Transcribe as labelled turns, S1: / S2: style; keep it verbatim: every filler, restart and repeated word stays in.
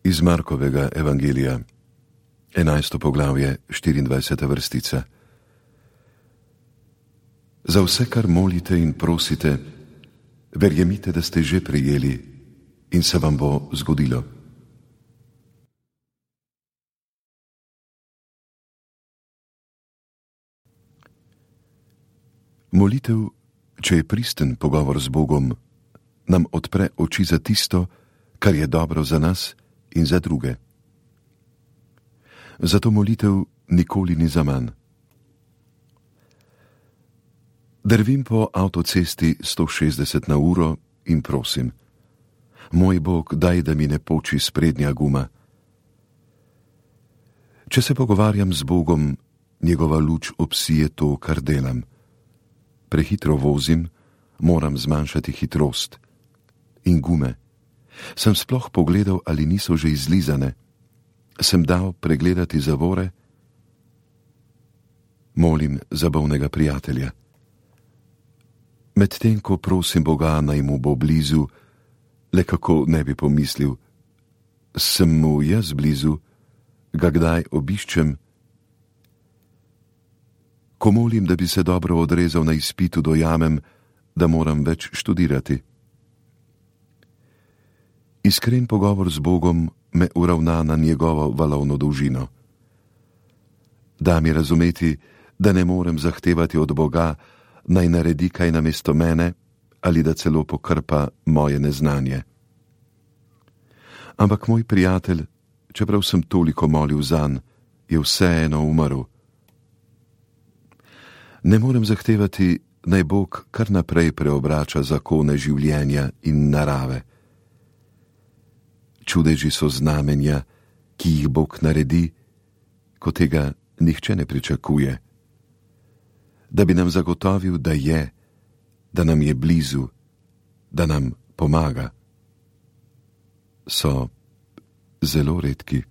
S1: Iz Markovega evangelija, enajsto poglavje, štiriindvajseta vrstica. Za vse, kar molite in prosite, verjemite, da ste že prejeli in se vam bo zgodilo. Molitev, če je pristen pogovor z Bogom, nam odpre oči za tisto, kar je dobro za nas in za druge. Zato molitev nikoli ni zaman. Drvim po avtocesti sto šestdeset na uro in prosim: moj Bog, daj, da mi ne poči sprednja guma. Če se pogovarjam z Bogom, njegova luč obsije to, kar delam. Prehitro vozim, moram zmanjšati hitrost. In gume. Sem sploh pogledal, ali niso že izlizane. Sem dal pregledati zavore. Molim za bolnega prijatelja. Medtem ko prosim Boga, naj mu bo blizu, le kako ne bi pomislil, sem mu jaz blizu, ga kdaj obiščem. Ko molim, da bi se dobro odrezal na izpitu, dojamem, da moram več študirati. Iskren pogovor z Bogom me uravna na njegovo valovno dolžino. Da mi razumeti, da ne morem zahtevati od Boga, naj naredi kaj namesto mene ali da celo pokrpa moje neznanje. Ampak moj prijatelj, čeprav sem toliko molil zanj, je vseeno umrl. Ne morem zahtevati, naj Bog kar naprej preobrača zakone življenja in narave. Čudeži so znamenja, ki jih Bog naredi, ko tega nihče ne pričakuje. Da bi nam zagotovil, da je, da nam je blizu, da nam pomaga, so zelo redki.